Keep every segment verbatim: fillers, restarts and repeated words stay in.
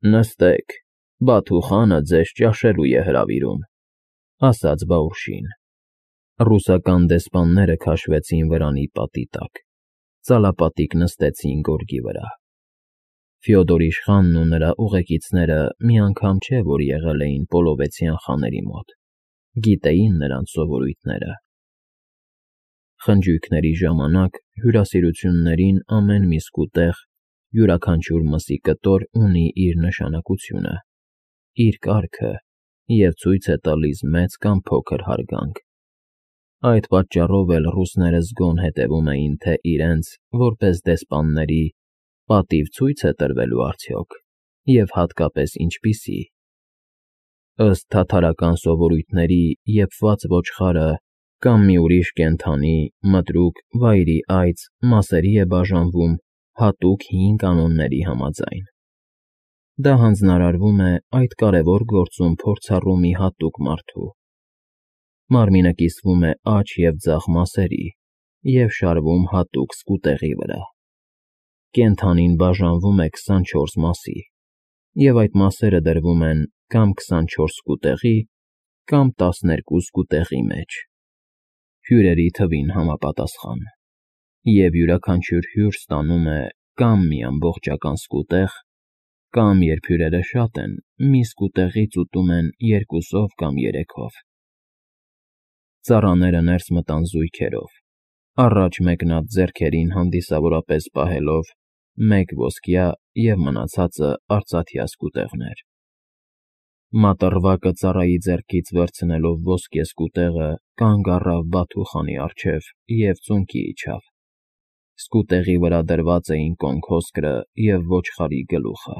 Նստեք, Բաթուխանը ձեզ ճաշելու է հրավիրում,֊ ասաց Բաուրշին։ Ռուսական դեսպանները քաշվեցին վրանի պատի տակ, ծալապատիկ նստեցին գորգի վրա։ Ֆյոդոր իշխանն ու նրա ուղեկիցները մի անգամ չէ, որ եղել էին Պոլովեցյան խաների մոտ, գիտեին նրանց սովորույթները։ Խնջույքների ժամանակ հյուրասիրություններին ամեն մի սկուտեղ, յուրաքանչյուր մսի կտոր ունի իր նշանակությունը, իր կարգը և ցույց է տալիս մեծ կամ փոքր հարգանք։ Այդ պատճառով էլ ռուսները զգոն հետևում էին, թե իրենց, որպես դեսպանների, պատիվ ցույց է տրվելու արդյոք, և հատկապես ինչպիսի։ Ըստ թաթարական սովորույթների եփված ոչխարը կամ մի ուրիշ կենդանի, մտրուկ, վայրի այծ մասերի է բաժանվում հատուկ հին կանոնների համաձայն։ Դա հանձնարարվում է այդ կարևոր գործում փորձառու մի հատուկ մարդու։ Մարմինը կիսվում է աջ և ձախ մասերի և շարվում հատուկ սկուտեղի վրա։ Կենդանին բաժանվում է քսանչորս մասի, և այդ մասերը դրվում են կամ քսանչորս սկուտեղի, կամ տասներկու սկուտեղի մեջ, հյուրերի թվին համապատասխան, և յուրաքանչյուր հյուր ստանում է կամ մի ամբողջական սկուտեղ, կամ, երբ հյուրերը շատ են, մի սկուտեղից ուտում են երկուսով կամ երեքով։ Ծառաները ներս մտան զույգերով, առաջ մեկնած ձեռքերին հանդիսավորապես պահելով մեկ ոսկյա և մնացածը արծաթյա սկուտեղներ։ Մատռվակը ծառայի ձեռքից վերցնելով ոսկե սկուտեղը կանգ առավ Բաթուխանի առջև և ծունկի իջավ։ Սկուտեղի վրա դրված էին կոնքոսկրը և ոչխարի գլուխը։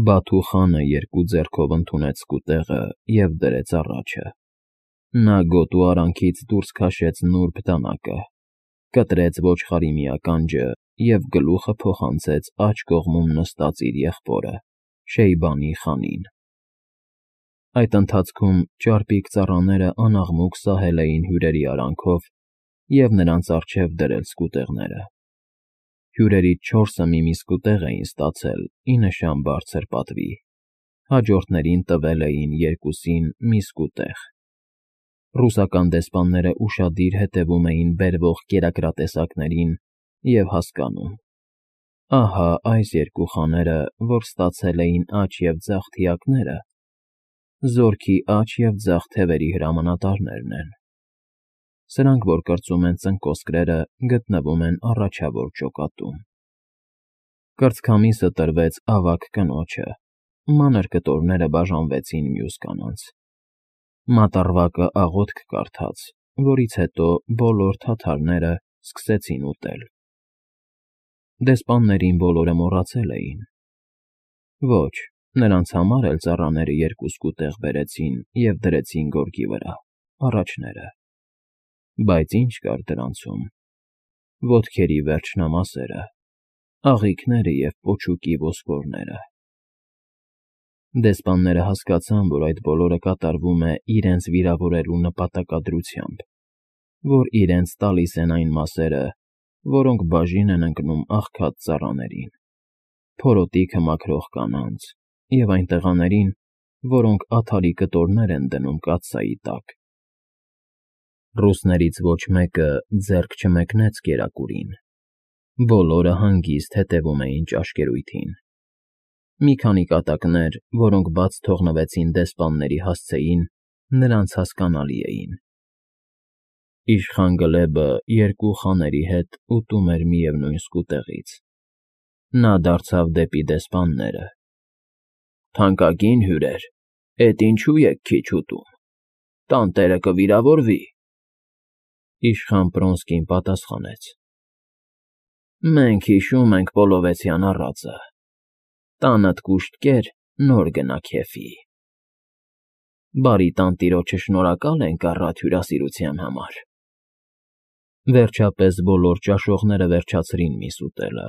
Բաթուխանը երկու ձեռքով ընդունեց սկուտեղը և դրեց առաջը։ Նա գոտու արանքից դուրս քաշեց նուրբ դանակը, կտրեց ոչխարի մի ականջը և գլուխը փոխանցեց աջ կողմում նստած իր եղբորը՝ Շեյբանի խանին։ Այդ ընթացքում ճարպիկ ծառաները անաղմուկ սահել էին հյուրերի արանքով և նրանց առջև դրել սկուտեղները։ Հյուրերից չորսը մի֊մի սկուտեղ էին ստացել ի նշան բարձր պատվի, հաջորդներին տվել էին երկուսին մի սկուտեղ։ Ռուսական դեսպանները ուշադիր հետևում էին բերվող կերակրատեսակներին և հասկանում. ահա այս երկու խաները, որ ստացել էին աջ և ձախ թիակները, զորքի աջ և ձախ թևերի հրամանատարներն են։ Սրանք, որ կրծում են ծնկոսկրերը, գտնվում են առաջավոր ջոկատում։ Կրծքամիսը տրվեց ավագ կնոջը, մանր կտորները բաժանվեցին մյուս կանանց։ Մատռվակը աղոթք կարդաց, որից հետո բոլոր թաթարները սկսեցին ուտել։ Դեսպաններին բոլորը մոռացել էին։ Ոչ, նրանց համար էլ ծառաները երկու սկուտեղ բերեցին և դրեցին գորգի վրա, առաջները։ Բայց ի՞նչ կար դրանցում. ոտքերի վերջնամասերը, աղիքները և պոչուկի ոսկորները։ Դեսպանները հասկացան, որ այդ բոլորը կատարվում է իրենց վիրավորելու նպատակադրությամբ, որ իրենց տալիս են այն մասերը, որոնք բաժին են ընկնում աղքատ ծառաներին, փորոտիքը մաքրող կանանց և այն տղաներին, որոնք աթարի կտորներ են դնում կաթսայի տակ։ Ռուսներից ոչ մեկը ձեռք չմեկնեց կերակուրին։ Բոլորը հանգիստ հետևում էին ճաշկերույթին։ Մի քանի կատակներ, որոնք բաց թողնվեցին դեսպանների հասցեին, նրանց հասկանալի էին։ Իշխան Գլեբը երկու խաների հետ ուտում էր միևնույն սկուտեղից։ Նա դարձավ դեպի դեսպանները. «Թանկագին հյուրեր, էդ ինչու եք քիչ ուտում, տանտերը կվիրավորվի»։ Իշխան Պռոնսկին պատասխանեց. «Մենք հիշում ենք Պոլովեցյան առածը. տանդ կուշտ կեր, նոր գնա քեֆի։ Բարի տանտիրոջը շնորհակալ ենք առատ հյուրասիրության համար»։ Վերջապես բոլոր ճաշողները վերջացրին միս ուտելը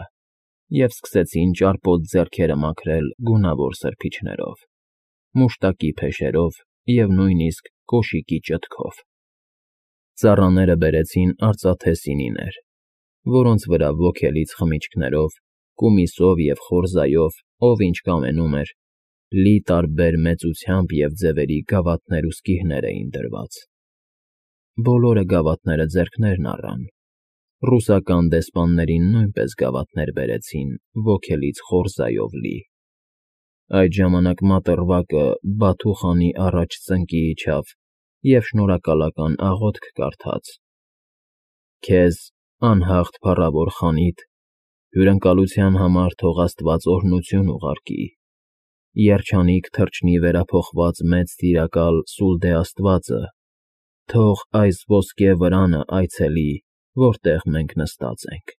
և սկսեցին ճարպոտ ձեռքերը մաքրել գունավոր սրբիչներով, մուշտակի փեշերով և նույնիսկ կոշիկի ճտքով։ Ծառաները բերեցին արծաթե սինիներ, որոնց վրա ոգելից խմիչքներով, կումիսով և խորզայով, ով ինչ կամենում էր, լի տարբեր մեծությամբ և ձևերի գավաթներ ու սկիհներ էին դրված. բոլորը գավաթները ձեռքներն առան, ռուսական դեսպաններին նույնպես գավաթներ բերեցին ոգելից խորզայով լի։ Այդ ժամանակ մատռվակը Բաթու խանի առաջ ծնկի իջավ և շնորհակալական աղոթք կարդաց. «Քեզ, անհաղթ փառավոր խանիդ, հյուրընկալության համար թող աստված օրհնություն ուղարկի, երջանիկ թռչնի վերափոխված մեծ տիրակալ Սուլդե աստվածը, թող այս ոսկե վրանը այցելի, որտեղ մենք նստած ենք,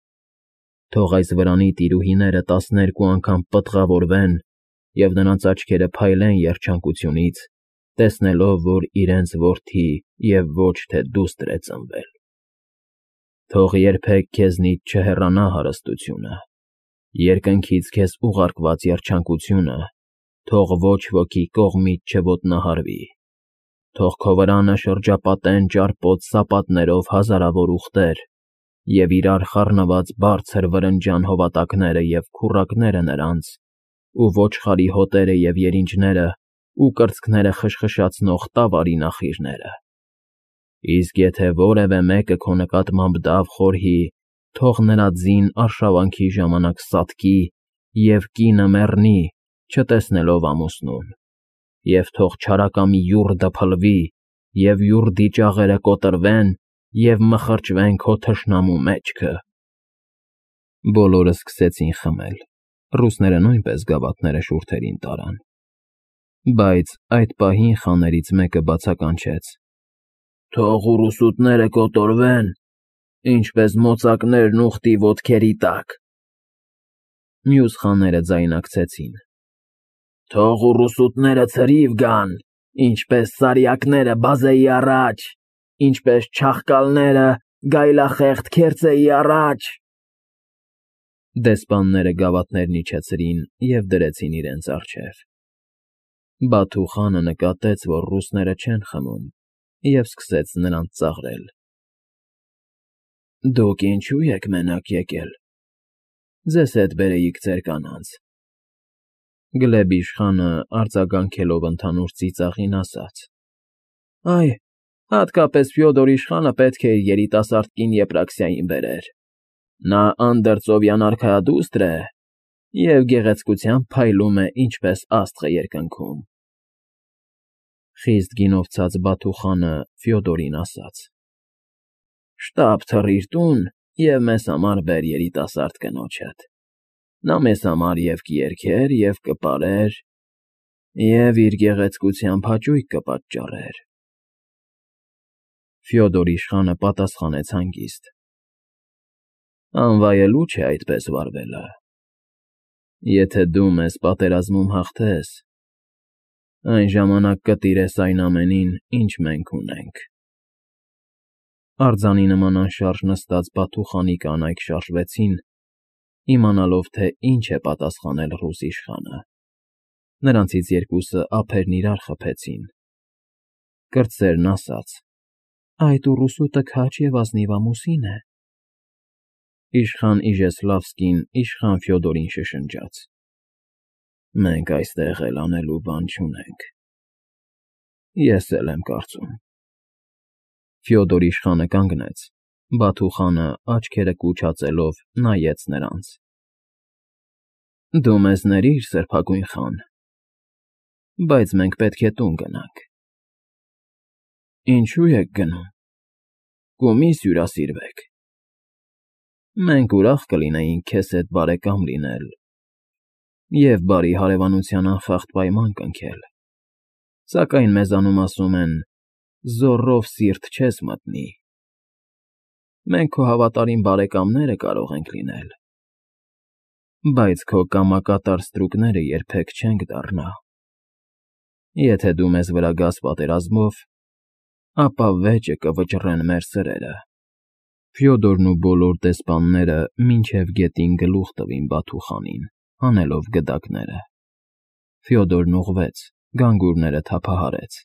թող այս վրանի տիրուհիները տասներկու անգամ պտղավորվեն և նրանց աչքերը փայլեն երջանկությունից, տեսնելով, որ իրենց որդի և ոչ թե դուստր է ծնվել։ Թող երբեք քեզնից չհեռանա հարստությունը, երկնքից քեզ ուղարկված երջանկությունը, թող ոչ ոքի կողմից չոտնահարվի, թող քո վրանը շրջապատեն ճարպոտ սապատներով հազարավոր ուղտեր և իրար խառնված բարձր վրնջան հովատակները և քուռակները նրանց, ու ոչխարի հոտերը և երինջները ու կրծքները խշխշացնող տավարի նախիրները։ Իսկ եթե որևէ մեկը քո նկատմամբ դավ խորհի, թող նրա ձին արշավանքի ժամանակ սատկի և կինը մեռնի, չտեսնելով ամուսնուն, և թող չարակամի յուռդը փլվի, և յուռդի ճաղերը կոտրվեն և մխրճվեն քո թշնամու մեջքը»։ Բոլորը սկսեցին խմել, ռուսները նույնպես գավաթները շուրթերին տարան։ Բայց այդ պահին խաներից մեկը բացականչեց. «Թող ուռուսուտները կոտորվեն, ինչպես մոծակներն ուղտի ոտքերի տակ»։ Մյուս խաները ձայնակցեցին. «Թող ուռուսուտները ցրիվ գան, ինչպես սարյակները բազեի առաջ, ինչպես չաղկալները գայլախեղդ քերծեի առաջ»։ Դեսպանները գավաթներն իջեցրին և դրեցին իրենց առջև։ Բաթու խանը նկատեց, որ ռուսները չեն խմում, և սկսեց նրանց ծաղրել. «Դուք ինչո՞ւ եք մենակ եկել, ձեզ հետ բերեիք ձեր կանանց»։ Գլեբ իշխանը, արձագանքելով ընդհանուր ծիծաղին, ասաց. «Այ, հատկապես Ֆյոդոր իշխանը պետք է իր երիտասարդ կին Եպրաքսիային բերեր, նա անդրծովյան արքայադուստր է և գեղեցկությամբ փայլում է, ինչպես աստղը երկնքում»։ Խիստ գինովցած Բաթու խանը Ֆյոդորին ասաց. «Շտապ թռիր տուն և մեզ համար բեր երիտասարդ կնոջդ, նա մեզ համար և կերքեր, և կպարեր, և իր գեղեցկությամբ հաճույք կպատճառեր»։ Ֆյոդոր իշխանը պատասխանեց հանգիստ. «Անվայելուչ է այդպես վարվելը։ Եթե դու մեզ պատերազմում հաղթես, այն ժամանակ կտիրես այն ամենին, ինչ մենք ունենք»։ Արձանի նման անշարժ նստած Բաթու խանի կանայք շարժվեցին, իմանալով, թե ինչ է պատասխանել ռուս իշխանը։ Նրանցից երկուսը ափերն իրար խփեցին։ Կրտսերն ասաց. «Այդ ուռուսուտը քաջ և ազնիվ ամուսին է»։ Իշխան Իժեսլավսկին իշխան Ֆյոդորին շշնջաց. «Մենք այստեղ էլ անելու բան չունենք»։ Ես էլ եմ կարծում։ Ֆյոդոր իշխանը կանգնեց, Բաթու խանը աչքերը կուչացելով նայեց նրանց. «Դու մեզ ներիր, սրբագույն խան, բայց մենք պետք է տուն գնանք»։ «Ինչո՞ւ եք գնում, կումիս հյուրասիրվեք»։ «Մենք ուրախ կլինեինք քեզ հետ բարեկամ լինել և բարի հարևանության անխախտ պայման կնքել, սակայն մեզանում ասում են. «Զոռով սիրտ չես մտնի»։ Մենք քո հավատարիմ բարեկամները կարող ենք լինել, բայց քո կամակատար ստրուկները երբեք չենք դառնա։ Եթե դու մեզ վրա գաս պատերազմով, ապա վեճը կվճռեն մեր սրերը»։ Ֆյոդորն ու բոլոր դեսպանները մինչև գետին գլուխ տվին Բաթու խանին, հանելով գդակները։ Ֆյոդորն ուղղվեց, գանգուրները թափահարեց,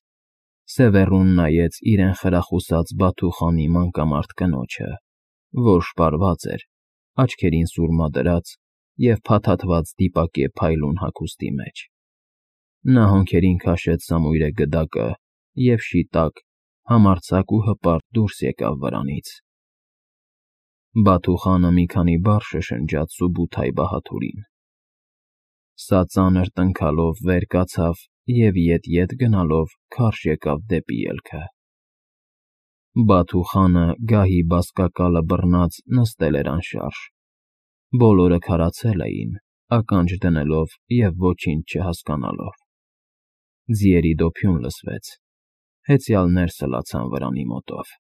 սևեռուն նայեց իրեն խրախուսած Բաթու խանի մանկամարդ կնոջը, որ շպարված էր, աչքերին սուրմա դրած և փաթաթված դիպակե փայլուն հագուստի մեջ։ Նա հոնքերին քաշեց սամույրե գդակը և շիտակ, համարձակ ու հպարտ դուրս եկավ վրանից։ Բաթու խանը մի քանի բառ շշնջաց Սուբութայի բահաթուրին։ Սա ծանր տնքալով վեր կացավ և ետ֊ետ գնալով քարշ եկավ դեպի ելքը։ Բաթու խանը գահի բազկակալը բռնած նստել էր անշարժ։ Բոլորը քարացել էին, ականջ դնելով և ոչինչ չհասկանալով։ Ձիերի դոփյուն լսվեց, հեծյալներ սլացան վրանի մոտով։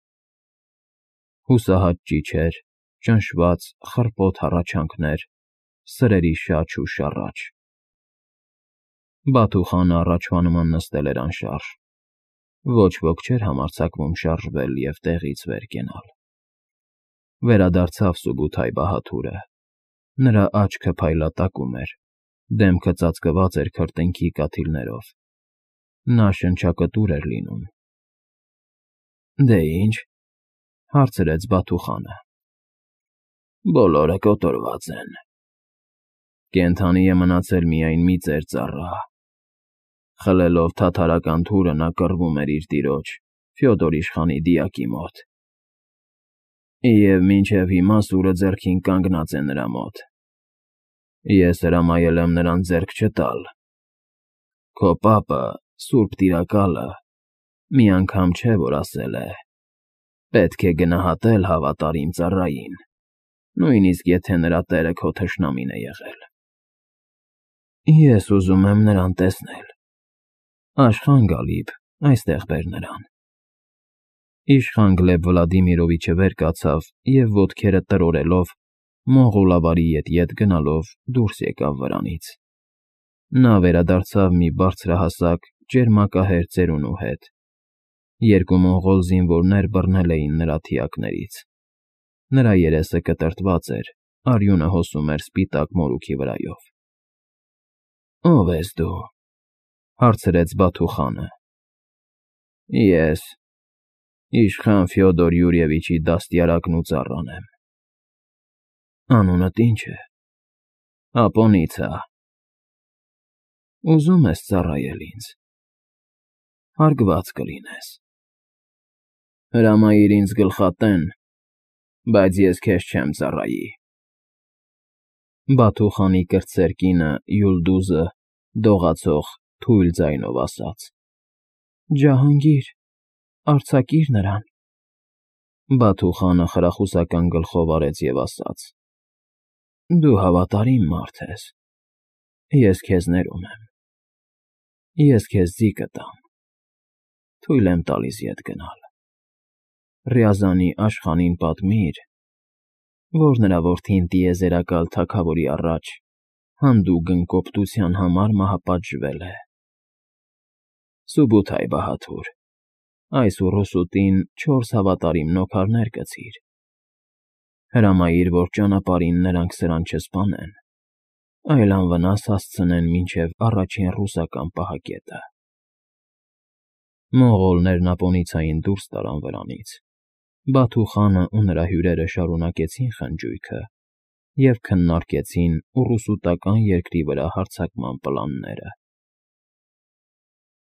Հուսահատ ճիչեր, ճնշված, խռպոտ հառաչանքներ, սրերի շաչ ու շառաչ։ Բաթու խանը առաջվա նման նստել էր անշարժ։ Ոչ ոք չէր համարձակվում շարժվել և տեղից վեր կենալ։ Վերադարձավ Սուբութայի բահաթուրը։ Նրա աչքը փայլատակում էր, դեմքը ծածկված էր քրտինքի կաթիլներով։ Նա շնչակտուր էր լինում։ ֊ Դե ինչ,֊ հարցրեց Բաթու խանը։ ֊ Բոլորը կոտորված են։ Կենդանի է մնացել միայն մի ծեր ծառա։ Խլելով թաթարական թուրը նա կռվում էր իր տիրոջ՝ Ֆյոդոր իշխանի դիակի մոտ։ Եվ մինչև հիմա սուրը ձեռքին կանգնած է նրա մոտ։ Ես հրամայել եմ նրան ձեռք չտալ։ Քո պապը, սուրբ տիրակալը, մի անգամ չէ որ ասել է. «Պետք է գնահատել հավատարիմ ծառային, նույնիսկ եթե նրա տերը քո թշնամին է եղել»։ Ես ուզում եմ նրան տեսնել։ Աշխա՛ն Գալիբ, այստեղ բեր նրան։ Իշխան Գլեբ Վլադիմիրովիչը վեր կացավ և ոտքերը տրորելով, մոնղոլավարի ետ֊ետ գնալով դուրս եկավ վրանից։ Նա վերադարձավ մի բարձրահասակ, ճերմակահեր ծերունու հետ։ Երկու մոնղոլ զինվորներ բռնել էին նրա թիակներից։ Նրա երեսը կտրտված էր, արյունը հոսում էր սպիտակ մորուքի վրայով։ ֊ Ո՞վ ես դու,֊ հարցրեց Բաթու խանը։ ֊ Ես իշխան Ֆյոդոր Յուրիևիչի դաստիարակն ու ծառան եմ։ ֊ Անունդ ի՞նչ է։ ֊ Ապոնիցա։ ֊ Ուզում ես ծառայել ինձ։ ֊ Հարգված կլինես։ ֊ Հրամայիր ինձ գլխատեն, բայց ես քեզ չեմ ծառայի։ Բաթու խանի կրտսեր կինը՝ Յուլդուզը, դողացող, թույլ ձայնով ասաց. ֊ Ջահանգիր, արձակիր նրան։ Բաթու խանը խրախուսական գլխով արեց և ասաց. ֊ Դու հավատարիմ մարդ ես։ Ես քեզ ներում եմ։ Ես քեզ ձի կտամ։ Թույլ եմ տալիս ետ գնալ։ Ռյազանի իշխանին պատմիր, որ նրա որդին տիեզերակալ թագավորի առաջ հանդուգն կոպտության համար մահապատժվել է։ Սուբութայի բահաթուր, այս ուռուսուտին չորս հավատարիմ նոքարներ կցիր։ Հրամայիր, որ ճանապարհին նրանք սրան չսպանեն, այլ անվնաս հասցնեն մինչև առաջին ռուսական պահակետը։ Մոնղոլներն Ապոնիցային դուրս տարան վրանից։ Բաթու խանն ու նրա հյուրերը շարունակեցին խնջույքը և քննարկեցին ուռուսուտական երկրի վրա հարձակման պլանները։